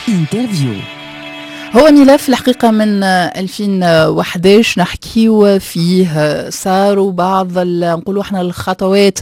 interview. هو ملف الحقيقة من 2011 نحكيو فيه، صاروا بعض نقولوا احنا الخطوات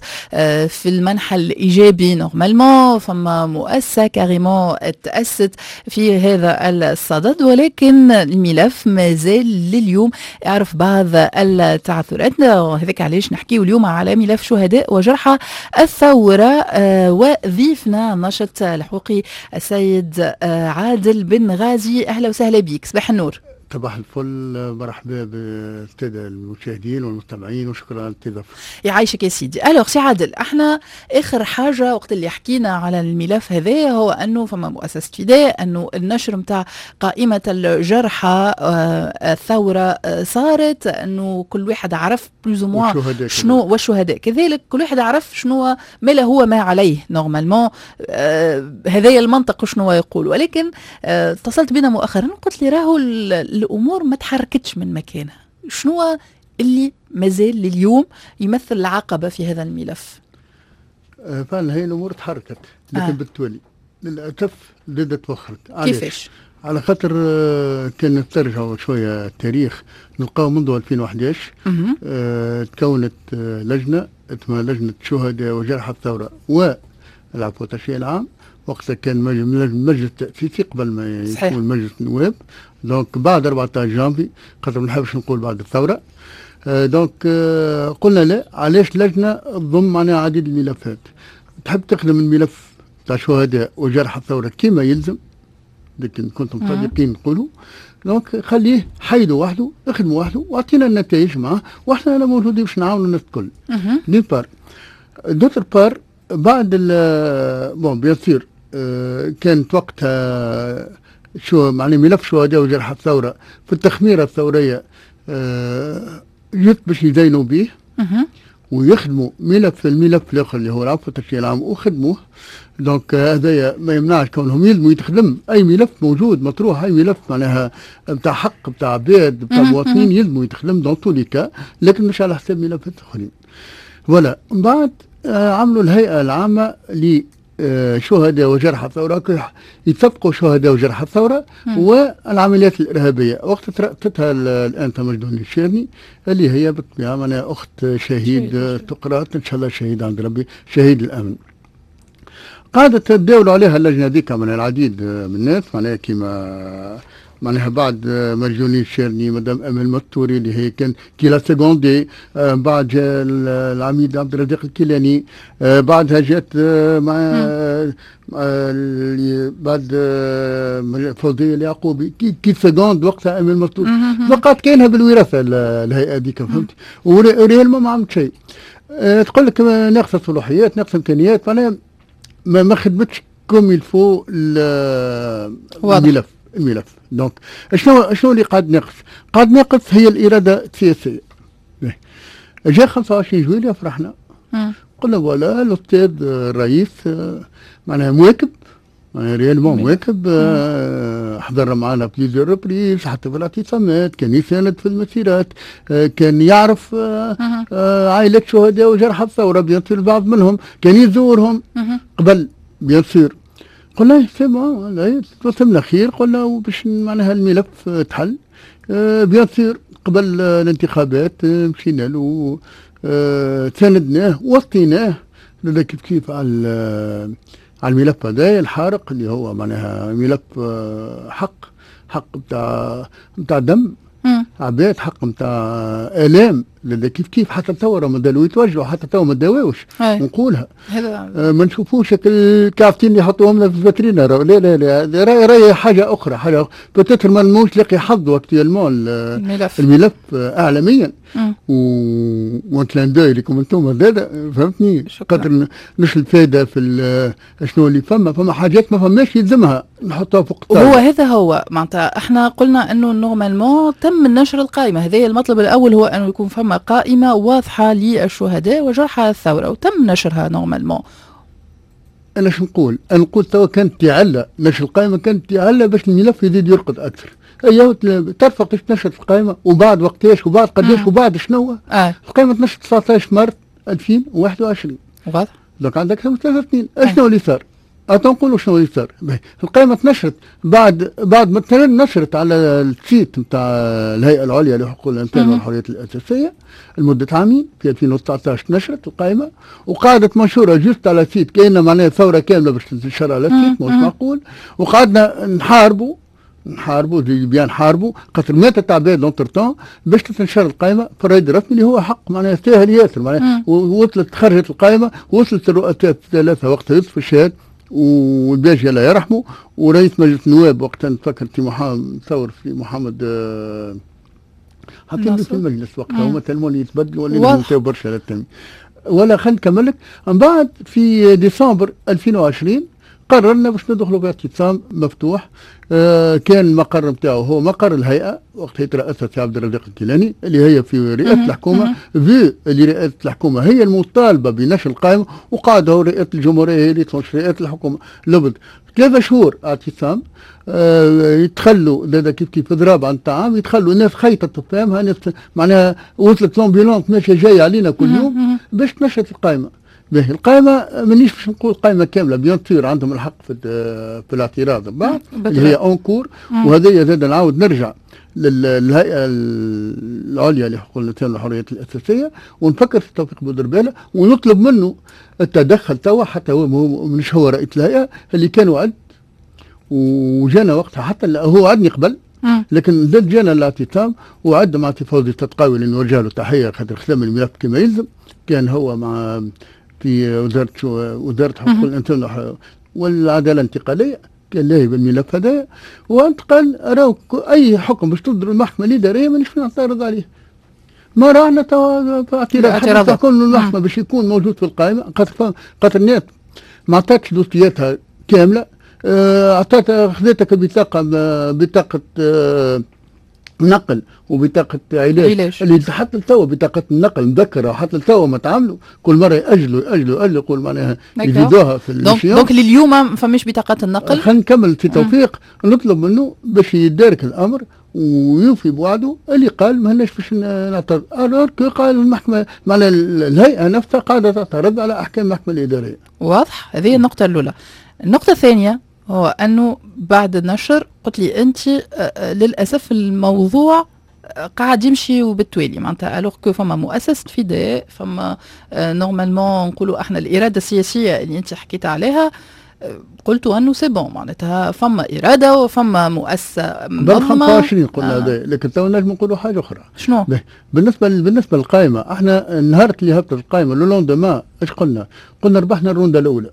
في المنحى الإيجابي. normalement فما مؤسسة carrément تأسست في هذا الصدد، ولكن الملف ما زال لليوم يعرف بعض التعثرات. هذاك علاش نحكيو اليوم على ملف شهداء وجرحى الثورة، وضيفنا الناشط الحقوقي السيد عادل بن غازي. أهلا وسهلا بيك، صباح النور. صباح الفل، مرحبا بالساده المشاهدين والمستمعين وشكرا على الاستضافة. يعيشك يا سيدي. alors سي عادل، احنا اخر حاجة وقت اللي حكينا على الملف هذا هو انه فما مؤسسة فداء، انه النشر نتاع قائمة الجرحى الثورة صارت، انه كل واحد عرف plus ou moins شنو، والشهداء كذلك كل واحد عرف شنو ما له هو ما عليه normalement. هذايا المنطق شنو يقول. ولكن اتصلت بنا مؤخرا وقلت لي راهو الامور ما تحركتش من مكانها. شنو اللي مازال لليوم يمثل العقبة في هذا الملف؟ فعلا هي الامور تحركت، لكن بالتوالي للاسف زادت توخرت. كيفاش؟ على خاطر كان ترجعوا شوية التاريخ نلقاو منذ 2011 تكونت لجنة اسمها لجنة شهداء وجرحى الثورة والعفو والتشريع العام. وقتها كان مجلس تأسيسي قبل ما يكون مجلس النواب، donc بعد 14 جانفي، خاطر ما نحبش نقول بعد الثورة. donc قلنا لا، علاش لجنة تضم معناها عديد الملفات، تحب تخدم الملف تاع شهداء وجرحى الثورة كما يلزم، لكن كنتم صادقين نقولوا donc خليه حيدوا وحده، اخدموا وحده واعطينا النتائج معاه، واحنا انا موجودين باش نعاونوا الناس الكل. d'une part، d'autre part بعد bon bien sûr كانت وقتها شو معني ملف شهداء وجرحى الثورة في التخميرة الثورية جت باش يدينوا به ويخدموا ملف الملف الاخر اللي هو العفو والتشريع العام وخدموه. donc هذايا ما يمنعش كونهم يلزموا يتخدم اي ملف موجود مطروح، اي ملف معناها نتاع حق نتاع عباد نتاع مواطنين يلزموا يتخدم dans tous les cas، لكن مش على حساب ملفات اخرين. voilà من بعد عملوا الهيئة العامة ل شهداء وجرحى الثورة، يتفقوا شهداء وجرحى الثورة والعمليات الإرهابية. وقت ترأستها الآن مجدون الشيرني اللي هي بالطبيعة معناها أخت شهيد تقرأت إن شاء الله شهيد عند ربي، شهيد الأمن. قعدت تداولوا عليها اللجنة ذيك من العديد من الناس، معناها كيما معناها بعد مجدوني الشيرني، مدام امل مطوري اللي هي كان qui l'a secondée، بعد جاء العميد عبد الرزاق الكيلاني، بعدها جات مع بعد فوزية اليعقوبي qui seconde وقتها امل مطوري. وقعت كاينها بالوراثه الهيئة هذيك، فهمت؟ و réellement ما عملت شيء. تقول لك ناقصه صلاحيات، ناقصه امكانيات، معناها ما خدمتش comme il faut الملف. donc شنو اللي قاعد ناقص؟ قاعد ناقص هي الارادة السياسية. جاء 25 جويلية فرحنا، قلنا voilà الاستاذ الرئيس معناها مواكب، معناها réellement مواكب، حضر معنا plusieurs reprises حتى في الاعتصامات، كان يساند في المسيرات، كان يعرف عائلة شهداء وجرحى الثورة bien sûr، البعض منهم كان يزورهم قبل bien sûr. قلنا c'est bon توسمنا خير، قلنا وباش معناها الملف تحل. bien sûr قبل الانتخابات مشينا له، ساندناه وطيناه كيف كيف على الملف هذا الحارق اللي هو معناها ملف حق نتاع دم عباد، حق نتاع الام كيف كيف. حتى توا راهم مازالوا يتوجعوا، حتى توا ما داواوش نقولها. ما نشوفوش الكافتين اللي يحطوهم لنا في الفاترينا، لا لا لا، راهي حاجة اخرى، حاجة peut-être ما موش لاقي حظه actuellement الملف اعلاميا. و un clin d'œil لكم انتم زاد، فهمتني؟ خاطر مش الفائدة في شنو اللي فما حاجات ما فماش يلزمها نحطها فوق الطاولة. هو هذا هو معناتها احنا قلنا انه normalement تم نشر القائمة، هذا المطلب الاول هو انه يكون فما قائمة واضحة للشهداء وجرحى الثورة وتم نشرها normalement. انا شو نقول؟ انا نقول توا كانت تعلى نشر القائمة، كانت تعلى باش الملف يزيد يرقد اكثر. ايوه تعرف وقتاش نشرت القائمة وبعد وقتاش وبعد قداش وبعد شنو؟ القائمة تنشرت 19 مارس 2021. واضح. donc عندك اكثر من 3 سنين. اشنو اللي صار؟ نقولوا شنو اللي صار. القائمة تنشرت بعد ما نشرت على ال site نتاع الهيئة العليا لحقوق الانسان والحريات الاساسية لمدة عامين. في 2019 نشرت القائمة وقعدت منشورة juste على ال site، كاين معناها ثورة كاملة باش تنشر على ال site، مش معقول. وقعدنا نحاربوا bien نحاربوا خاطر ماتت عباد entre-temps باش تنشر القائمة في الرائد الرسمي اللي هو حق معناها ساهل ياسر. معناها وصلت، خرجت القائمه، وصلت الرؤساء الثلاثة وقتها، يوسف الشاهد والباجي الله يرحمه ورئيس مجلس النواب وقتها، نتفكر في محمد ثور، في محمد حاطين في المجلس وقتها. هما tellement يتبدلوا ولا برشا للتم ولا. خلينا نكمل لك. من بعد في ديسمبر 2020 قررنا باش ندخلوا في اعتصام مفتوح. كان المقر نتاعو هو مقر الهيئة وقت يترأسها سي عبد الرزاق الكيلاني اللي هي في رئاسة الحكومه، vu اللي رئاسة الحكومة هي المطالبة بنشر القائمه، وقعد هو رئاسة الجمهورية هي اللي تنشر، رئاسة الحكومه. لبد 3 شهور اعتصام، يتخلوا زاد كيف كيف اضراب عن الطعام، يتخلوا الناس خيطت فهمها ناس، معناها وصلت l'ambulance ماشية جاية علينا كل يوم باش تنشرت القائمه. باهي، القائمة مانيش باش نقول قائمة كاملة، bien sûr عندهم الحق في الاعتراض بعد اللي هي en cours. وهذا زاد نعاود نرجع للهيئة العليا لحقوق الإنسان والحريات الأساسية ونفكر في توفيق بودربالة ونطلب منه التدخل توا، حتى هو مش هو رئيس الهيئة اللي كان وعد وجانا وقتها، حتى هو وعدني قبل لكن زاد جانا الاعتصام وعد مع فوزي التتقاوي اللي نوجه له تحية خاطر خدم الملف كما يلزم، كان هو مع في وزاره حقوق الانسان والعدالة الانتقاليه، كان لاهي بالملف هذا وانتقل. راهو اي حكم باش تصدر المحكمة الادارية مانيش نعترض عليه، ما رانا توا اعتراض تكون المحكمة باش يكون موجود في القائمه، خاطر الناس ما عطاتش دوسياتها كامله. اعطت خذتك بطاقه، بطاقة نقل وبطاقة علاج، علاج. اللي حتى لتوا بطاقة النقل مذكرة حتى لتوا ما تعملوا، كل مرة يأجلوا يأجلوا يأجلوا، يقول معناها يزيدوها في donc لليوم ما فماش بطاقة النقل. خلينا نكمل في توفيق، نطلب منه باش يدارك الأمر ويوفي بوعده اللي قال ما لناش باش نعترض، alors que قال المحكمة معناها الهيئة نفسها قاعدة تعترض على أحكام المحكمة الإدارية. واضح، هذه النقطة الأولى. النقطة الثانية هو أنه بعد النشر قلت لي أنت للأسف الموضوع قاعد يمشي وبالتوالي، معناتها alors que فما مؤسسة فداء، فما normalement نقولوا احنا الارادة السياسية اللي انت حكيت عليها، قلت انه c'est bon، معناتها فما اراده وفما مؤسسة منظمه. 25 قلنا هذا، لكن تو نجم نقولوا حاجة اخرى. شنو؟ بالنسبه للقائمه، احنا النهار اللي هبطت القائمة le lendemain ايش قلنا؟ قلنا ربحنا الرونده الاولى.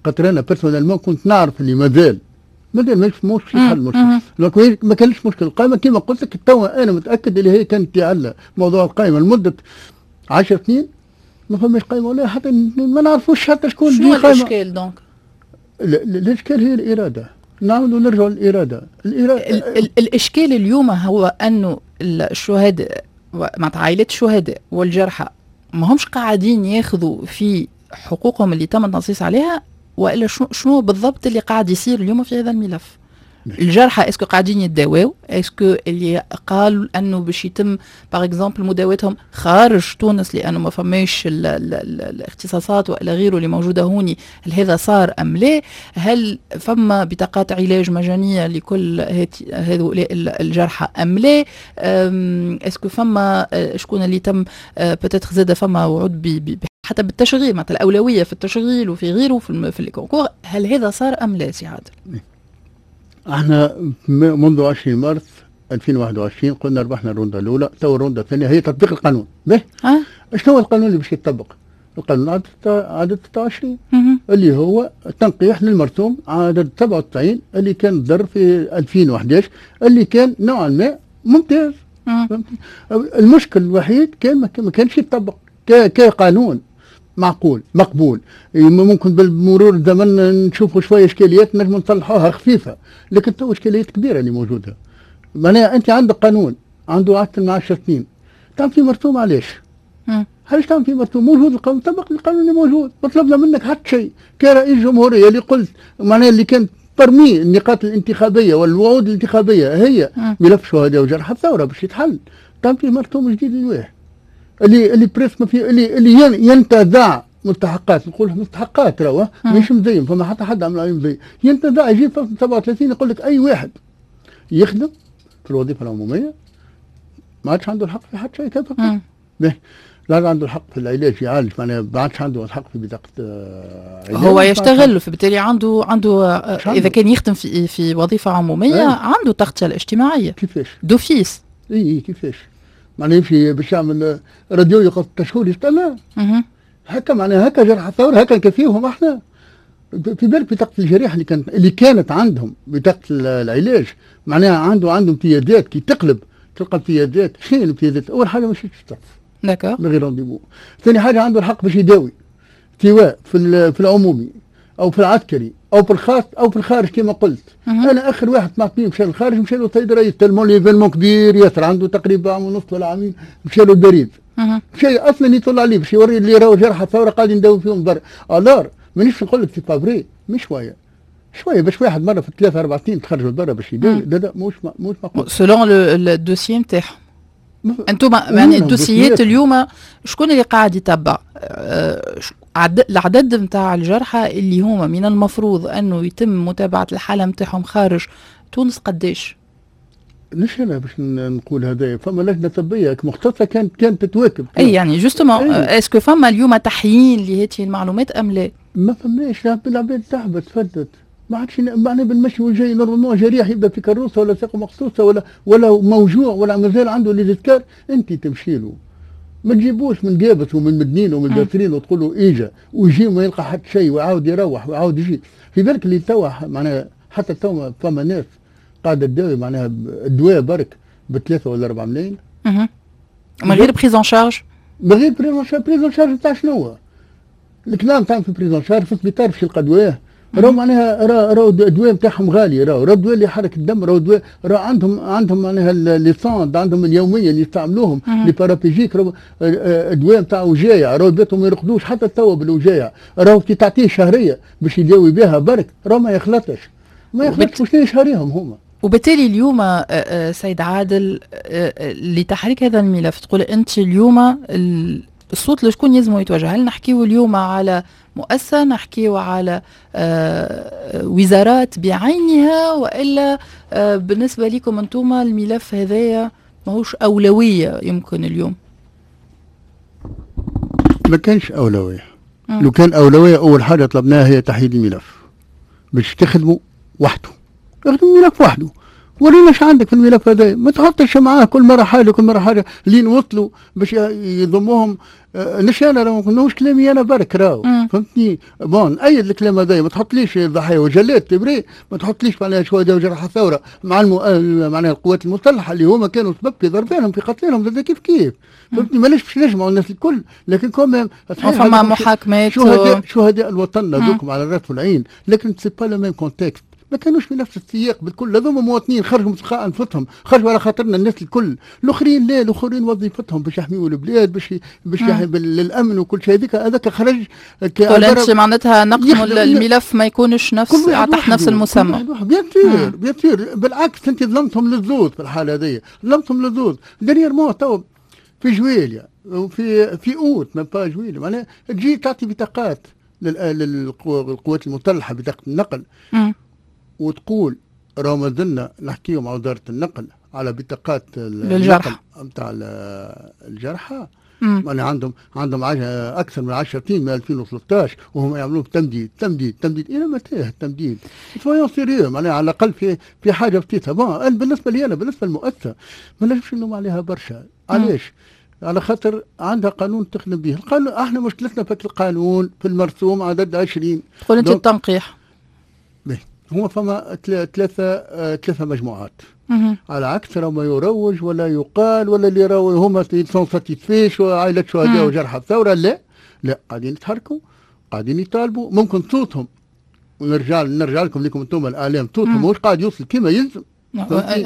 خاطر انا personnellement كنت نعرف اللي مازال مش في حل مشكل، ما كانش مشكل القائمه. كما قلت لك توا انا متاكد اللي هي كانت على موضوع القائمة لمدة 10 سنين ما فماش قائمة ولا حتى ما نعرفوش حتى شكون. شنو الاشكال donc؟ الاشكال هي الاراده، نعاودوا نرجعوا للارادة الارادة ال ال الاشكال اليوم هو انه الشهداء، معناتها عائلات الشهداء والجرحى، ما همش قاعدين ياخذوا في حقوقهم اللي تم التنصيص عليها، والا شنو بالضبط اللي قاعد يصير اليوم في هذا الملف؟ الجرحى est-ce que قاعدين يتداواو؟ est-ce que اللي قالوا انه باش يتم par exemple مداواتهم خارج تونس لانه ما فماش الاختصاصات والى غيره اللي موجودة هوني، هل هذا صار ام لا؟ هل فما بطاقات علاج مجانية لكل هؤلاء الجرحى ام لا؟ est-ce que فما شكون اللي تم peut-être زاد فما وعود حتى بالتشغيل، مثلا الاولوية في التشغيل وفي غيره في ال concours، هل هذا صار ام لا سي عادل؟ احنا منذ 20 مارس 2021 قلنا ربحنا الرونده الاولى، تو الرونده الثانية هي تطبيق القانون. به أه؟ شنو هو القانون اللي باش يطبق؟ القانون عدد 26 اللي هو تنقيح للمرسوم عدد 97 اللي كان صدر في 2011، اللي كان نوعا ما ممتاز. المشكل الوحيد كان ما كانش يطبق كقانون معقول مقبول. ممكن بالمرور الزمن نشوفوا شوية اشكاليات نجم نصلحوها خفيفه، لكن تو اشكاليات كبيرة اللي موجوده. معناها انت عندك قانون عنده اكثر من 10 سنين تعمل في مرسوم، علاش؟ علاش تعمل في مرسوم؟ موجود القانون، طبق القانون اللي موجود. ما طلبنا منك حتى شيء كرئيس جمهورية اللي قلت معناها اللي كان parmi النقاط الانتخابية والوعود الانتخابية هي ملف شهداء وجرحى الثورة باش يتحل، تعمل فيه مرسوم جديد الواحد اللي presque ما في اللي ينتزع. مستحقات، نقول مستحقات راهو مش مزيان، فما حتى حد عمل عليه مزيان. ينتزع يجي فصل 37 يقول لك اي واحد يخدم في الوظيفة العمومية ما عادش عنده الحق في حتى شيء. كيف؟ لا عنده الحق في العلاج يعالج، معناها ما عادش عنده الحق في بطاقة علاج. هو يشتغل، فبالتالي عنده اذا كان يخدم في وظيفة عموميه عنده تغطيه الاجتماعية. كيفاش؟ d'office. اي كيفاش؟ معناها يمشي باش يعمل راديو يقعد 6 شهور يستنى. هكا معناها هكا جرح الثورة هكا نكفيهم احنا. في بالك بطاقة الجريح اللي كانت عندهم بطاقة العلاج، معناها عنده امتيازات، كي تقلب تلقى امتيازات. شنو الامتيازات؟ اول حاجة مش تشتغل من غير rendez-vous. ثاني حاجة عنده الحق باش يداوي سواء في العمومي او في العسكري او في الخاص او في الخارج كما قلت. انا اخر واحد سمعت بيه مشى للخارج مشى له السيد الرئيس، tellement l'événement كبير ياسر، عنده تقريبا عام ونص ولا عامين، مشى له البريد، مشى اصلا يطلع عليه باش يوري اللي راهو جرح الثورة قاعدين نداوي فيهم برا. alors مانيش نقول لك c'est pas vrai، مش شوية شوية باش واحد مرة في 3 4 سنين تخرج لبرا باش يداوي. لا لا، مش معقول. selon ال dossier نتاعهم انتم، يعني الدوسيات اليوم شكون اللي قاعد يتبع العدد نتاع الجرحى اللي هما من المفروض انه يتم متابعه الحالة نتاعهم خارج تونس قداش؟ مش انا باش نقول هذا، فما لجنة طبية مختصة كانت تتواكب. اي يعني justement، est-ce que فما اليوم تحيين لهذه المعلومات ام لا؟ ما فماش. العباد تعبت فدت، ما عادش معناها بالمشي والجاي. normalement جريح يبدا في كروسه ولا ساقه مقصوصة ولا موجوع ولا مازال عنده les escarres، انت تمشي له، ما تجيبوش من قابس ومن مدنين ومن قصرين وتقول له اجا، ويجي وما يلقى حتى شيء ويعاود يروح ويعاود يجي. في بالك اللي توا معناها حتى توا فما ناس قاعدة تداوي معناها الدواء برك ب3 ولا 4 ملايين. من غير prise en charge. من غير prise en charge. prise en charge تاع شنو؟ الكلام تاع في prise en charge في السبيطار باش يلقى دواه. راهو معناها راهو الدواء نتاعهم غالي، راهو الدواء اللي يحرك الدم، راهو الدواء، راهو عندهم معناها les sondes عندهم اليومية اللي يستعملوهم، les paraplégiques، راهو الدواء نتاع وجايع، راهو بيتهم ما يرقدوش حتى توا بالوجايع. راهو كي تعطيه شهرية باش يداوي بها برك راهو ما يخلطش ما يخلطش. وشنو شهريهم هما؟ وبالتالي اليوم سيد عادل، لتحريك هذا الملف تقول انت اليوم الصوت لشكون يلزم يتوجه؟ هل نحكيو اليوم على مؤسسة، نحكيو على وزارات بعينها، وإلا بالنسبة لكم أنتم الملف هذايا ماهوش أولوية يمكن اليوم؟ ما كانش أولوية. لو كان أولوية أول حاجة طلبناها هي تحييد الملف باش تخدموا وحده. اخدموا الملف وحده، ورينا ايش عندك في الملف هذا، ما تحطش معاه كل مرة حاجة كل مرة حاجة لين وصلوا باش يضموهم. مش انا راهو، ماهوش كلامي انا برك راهو، فهمتني؟ bon ايد الكلام هذا، ما تحطليش الضحايا وجلات تبري، ما تحطليش معناها شهداء وجرحى الثورة مع معناها القوات المسلحة اللي هما كانوا سبب في ضربانهم في قتلهم زاد كيف كيف، فهمتني؟ ماناش باش نجمعوا الناس الكل، لكن quand même فما محاكمات. شهداء الوطن هذوكم على الراس والعين، لكن c'est pas le même contexte، ما كانوش في نفس السياق بالكل. هذوما مواطنين خرجوا من انفسهم، خرجوا على خاطرنا الناس الكل. الاخرين لا، الاخرين وظيفتهم باش يحميوا البلاد، باش للامن وكل شيء. هذيك هذاك خرج. تقول انت معناتها نقسم الملف ما يكونش نفس تحت نفس المسمى. bien sûr bien sûr، بالعكس انت ظلمتهم للزوز في الحالة هذه، ظلمتهم للزوز. dernièrement تو في جويليا وفي اوت، même pas جويليا، معناها تجي تعطي بطاقات للقوات المسلحه، بطاقة النقل، وتقول راهو مازلنا نحكيو مع وزارة النقل على بطاقات للجرحى. نتاع الجرحى. يعني عندهم اكثر من 10 سنين من 2013 وهم يعملوا تمديد تمديد تمديد، الى متى التمديد؟ soyons sérieux، معناها على الاقل في حاجة بسيطه. bon بالنسبة لي انا، بالنسبة للمؤسسه ما نجمش نلوم عليها برشا. علاش؟ على خاطر عندها قانون تخدم به القانون. احنا مشكلتنا في القانون، في المرسوم عدد 20. تقول انت التنقيح. هو فما ثلاثة مجموعات، على عكس ما يروج ولا يقال ولا اللي راهو هما sont satisfaits عائلة شهداء وجرحى الثورة. لا لا، قاعدين يتحركوا، قاعدين يطالبوا. ممكن صوتهم، ونرجع نرجع لكم انتم الاعلام، صوتهم مش قاعد يوصل كما يلزم.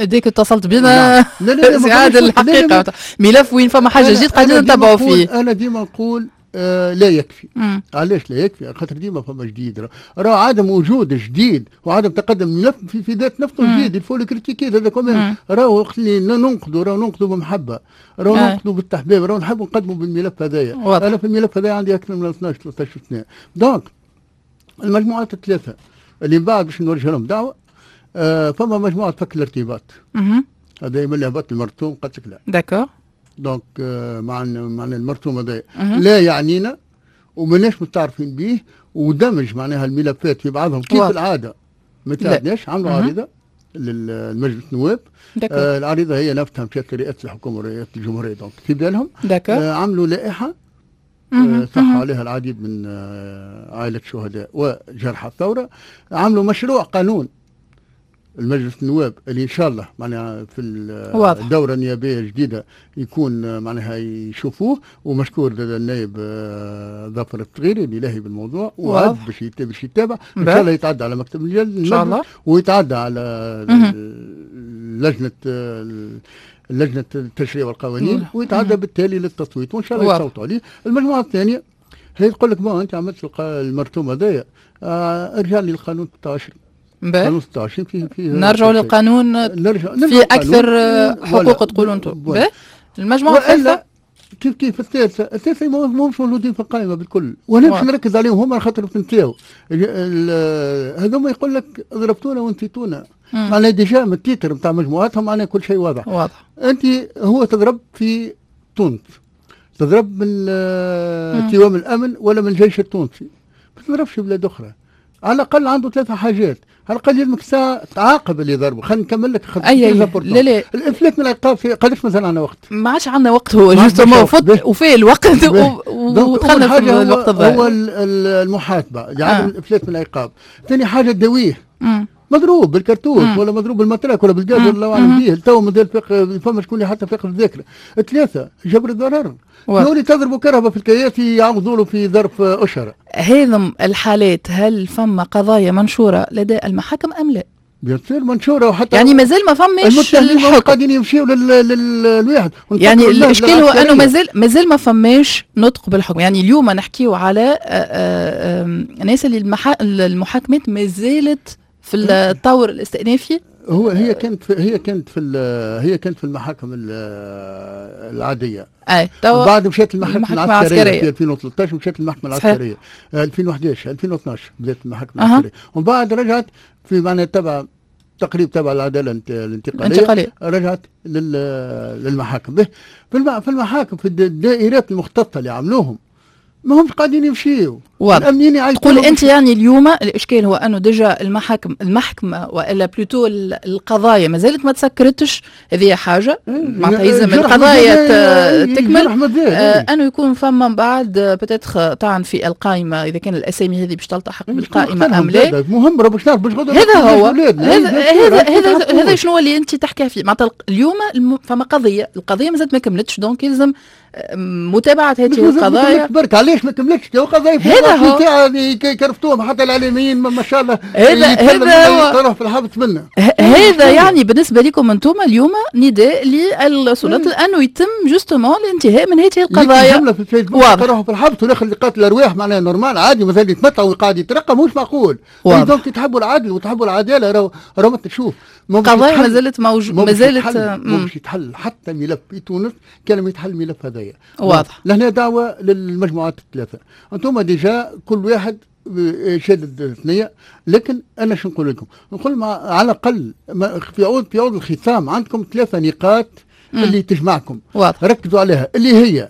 ديك اتصلت بنا. لا لا لا، هذا الحقيقة ملف وين فما حاجة جديد قاعدين نتابعوا فيه. انا ديما نقول لا يكفي. علاش لا يكفي؟ خاطر ديما فما جديد، راه عدم وجود جديد وعدم تقدم الملف في ذات نفسه جديد، il faut le critiquer هذا quand même. راهو وقت اللي ننقدوا راهو ننقدوا بمحبة، راهو ننقدوا بالتحبيب، راهو نحبوا نقدموا بالملف هذايا. انا في الملف هذايا عندي اكثر من 12 13 سنة. donc المجموعات الثلاثة اللي من بعد باش نوجه لهم دعوه، فما مجموعة فك الارتباط، هذا من اللي هبط المرسوم قالت لك لا. d'accord. donc مع المرسوم هذا لا يعنينا وماناش متعرفين به، ودمج معناها الملفات في بعضهم كيف العادة ما تساعدناش. عملوا عريضة للمجلس النواب، العريضة هي نفسها مشات لرئاسة الحكومة ورئاسه الجمهوريه، donc في بالهم. عملوا لائحة صح عليها العديد من عائلة الشهداء وجرحى الثوره. عملوا مشروع قانون المجلس النواب اللي ان شاء الله معناها في الدورة النيابية الجديدة يكون معناها يشوفوه، ومشكور النائب ظفر الصغيري اللي لاهي بالموضوع وعد باش يتابع ان شاء الله، يتعدى على مكتب ان شاء الله، ويتعدى على لجنة التشريع والقوانين، ويتعدى بالتالي للتصويت وان شاء الله يصوتوا عليه. المجموعة الثانية هي تقول لك bon انت عملت المرسوم هذايا، ارجع لي القانون 16. قانون 26 فيه نرجعوا للقانون، في اكثر حقوق تقولوا انتم. المجموعة الثالثة كيف الثالثة ماهمش موجودين في القائمة بالكل، وانا باش نركز عليهم هما خاطر تنساو هذوما. يقول لك ضربتونا ونسيتونا، معناها déjà من ال titre نتاع مجموعاتهم معناها كل شيء واضح. واضح. انت هو تضرب في تونس، تضرب من توام الامن ولا من الجيش التونسي، ما تضربش في بلاد اخرى. على الاقل عنده ثلاثة حاجات، على الاقل يلزمك ساعة تعاقب اللي ضربه. خلينا نكمل لك. اي لا لا، الافلات من العقاب في قداش مازال عندنا وقت؟ ما عادش عندنا وقت، هو justement فوت وفيه الوقت ودخلنا في الوقت الضايع. هو المحاسبة، يعني الافلات من العقاب. ثاني حاجة تداويه، مضروب بالكرتوش ولا مضروب بال matraque ولا بالغاز ولا الله اعلم به، تو مازال فما شكون اللي حتى فاقد الذاكرة. ثلاثة جبر الضرر، يولي تضربوا كرهبه في الكياس يعوضوا له في ظرف اشهر. هذم الحالات هل فما قضايا منشورة لدى المحاكم ام لا؟ bien sûr منشورة، وحتى يعني مازال ما فماش الحكم، قاعدين يمشيوا للواحد. يعني الاشكال هو انه مازال ما فماش نطق بالحكم. يعني اليوم نحكيو على الناس اللي المحاكمات مازالت في الطور الاستئنافي. هو هي كانت في المحاكم العادية. اي بعد مشات المحاكم العسكرية في 2013، مشات المحكمة العسكرية 2011 2012 بدات المحاكم العسكرية، ومن بعد رجعت في معناها تبع تقريب تبع العدالة الانتقالية، رجعت للمحاكم. في المحاكم في الدائرات المختصة اللي عملوهم ما همش قاعدين يمشيو. الامنيين تقول انت يعني اليوم الاشكال هو انه déjà المحكمة والا plutôt القضايا ما زالت ما تسكرتش، هذه حاجة معناتها يلزم القضايا تكمل، انه يكون فما من بعد peut-être طعن في القائمة اذا كان الاسامي هذه باش تلتحق بالقائمه ام لا. مهم راه باش نعرف باش غدوه. هذا هو هذا هذا شنو اللي انت تحكي فيه. معناتها اليوم فما قضية، القضية ما زالت ما كملتش، donc يلزم متابعه هذه القضايا. برك علاش ما كملتش؟ قضايا هذا هو كرفتوهم حتى الاعلاميين ما شاء الله. هذا هو في الحبس منا. هذا يعني بالنسبة لكم انتم اليوم نداء للسلطات انه يتم justement الانتهاء من هذه القضايا. جملة في الفيسبوك راحوا في الحبس والاخر اللي قاتل الارواح معناها normal عادي مثلا يتمتع وقاعد يترقى، مش معقول. donc تحبوا العدل وتحبوا العدالة، راهو ما تشوف قضايا مازالت موجود، مازالت مش يتحل حتى ملف في تونس كان ما يتحل الملف هذايا. واضح. لهنا دعوه للمجموعات الثلاثة، انتم déjà كل واحد شادد الثنية، لكن انا شو نقول لكم؟ نقول على الاقل في عوض الختام عندكم ثلاثة نقاط اللي تجمعكم. واضح. ركزوا عليها اللي هي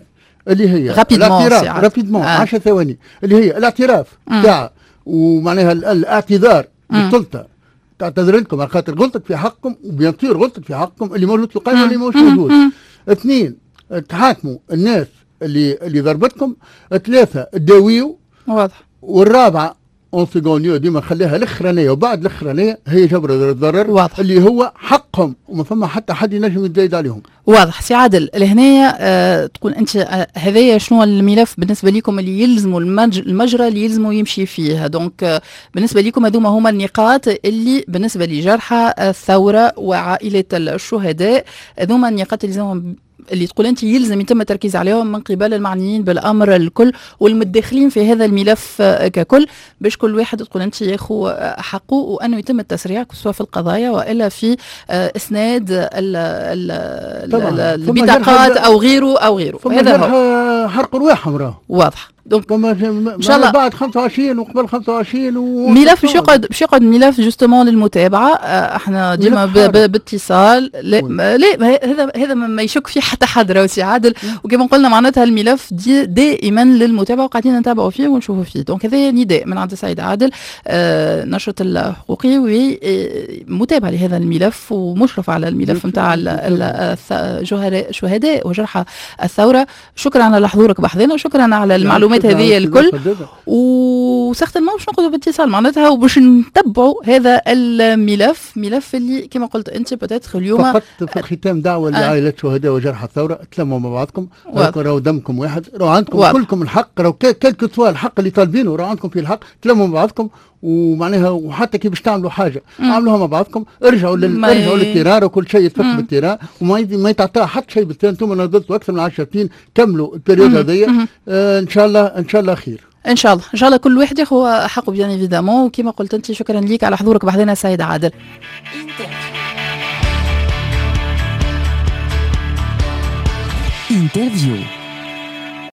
الاعتراف rapidement 10 ثواني، اللي هي الاعتراف تاع ومعناها الاعتذار للسلطة، تعتذر لكم على خاطر غلطت في حقكم، و bien sûr غلطت في حقكم اللي موجود في القائمة واللي مش موجود. اثنين، تحاكموا الناس اللي ضربتكم. ثلاثة، تداويوا. واضح. والرابعة en second lieu ديما خليها الاخرانية، وبعد الاخرانية هي جبر الضرر. واضح. اللي هو حقهم وما فما حتى حد ينجم يتزايد عليهم. واضح. سي عادل لهنايا تقول انت هذايا شنو الملف بالنسبة لكم اللي يلزموا المجرى اللي يلزموا يمشي فيه. donc بالنسبة لكم هذوما هما النقاط اللي بالنسبة لجرحى الثورة وعائلة الشهداء، هذوما النقاط اللي لازمهم اللي تقول انت يلزم يتم التركيز عليهم من قبل المعنيين بالامر الكل والمتداخلين في هذا الملف ككل، باش كل واحد تقول انت ياخو حقه، وانه يتم التسريع سواء في القضايا والا في اسناد البطاقات او غيره او غيره. هذا هو حرق رواحهم راه واضح. donc ان شاء الله بعد 25 وقبل 25 ملف باش يقعد ملف justement للمتابعة. احنا ديما باتصال. لا لا، هذا ما يشك فيه حتى حد راهو سي عادل، وكما قلنا معناتها الملف دي دائما للمتابعة وقاعدين نتابعوا فيه ونشوفوا فيه. donc هذا نداء من عند السيد عادل، نشط الحقوقي ومتابع لهذا الملف ومشرف على الملف نتاع شهداء وجرحى الثورة. شكرا على حضورك بحذنا وشكرا على المعلومات هذه الكل، و certainement باش نقعدوا باتصال معناتها وباش نتبعوا هذا الملف، ملف اللي كما قلت انت peut-être اليوم. فقط في الختام دعوه لعائلات شهداء وجرحى الثورة، تلموا مع بعضكم، راهو دمكم واحد، راهو عندكم كلكم الحق، راهو quel que soit الحق اللي طالبينه راهو عندكم فيه الحق، تلموا مع بعضكم ومعناها وحتى كي باش تعملوا حاجة اعملوها مع بعضكم، ارجعوا ارجعوا لل terrain وكل شيء يتفك بال terrain وما يتعطى حتى شيء بال terrain. انتم نضلتوا اكثر من 10 سنين، كملوا ال période هذيا، ان شاء الله ان شاء الله خير. ان شاء الله ان شاء الله كل واحد ياخذ حقه bien évidemment. وكما قلت انت شكرا ليك على حضورك بحذنا سيد عادل. interview.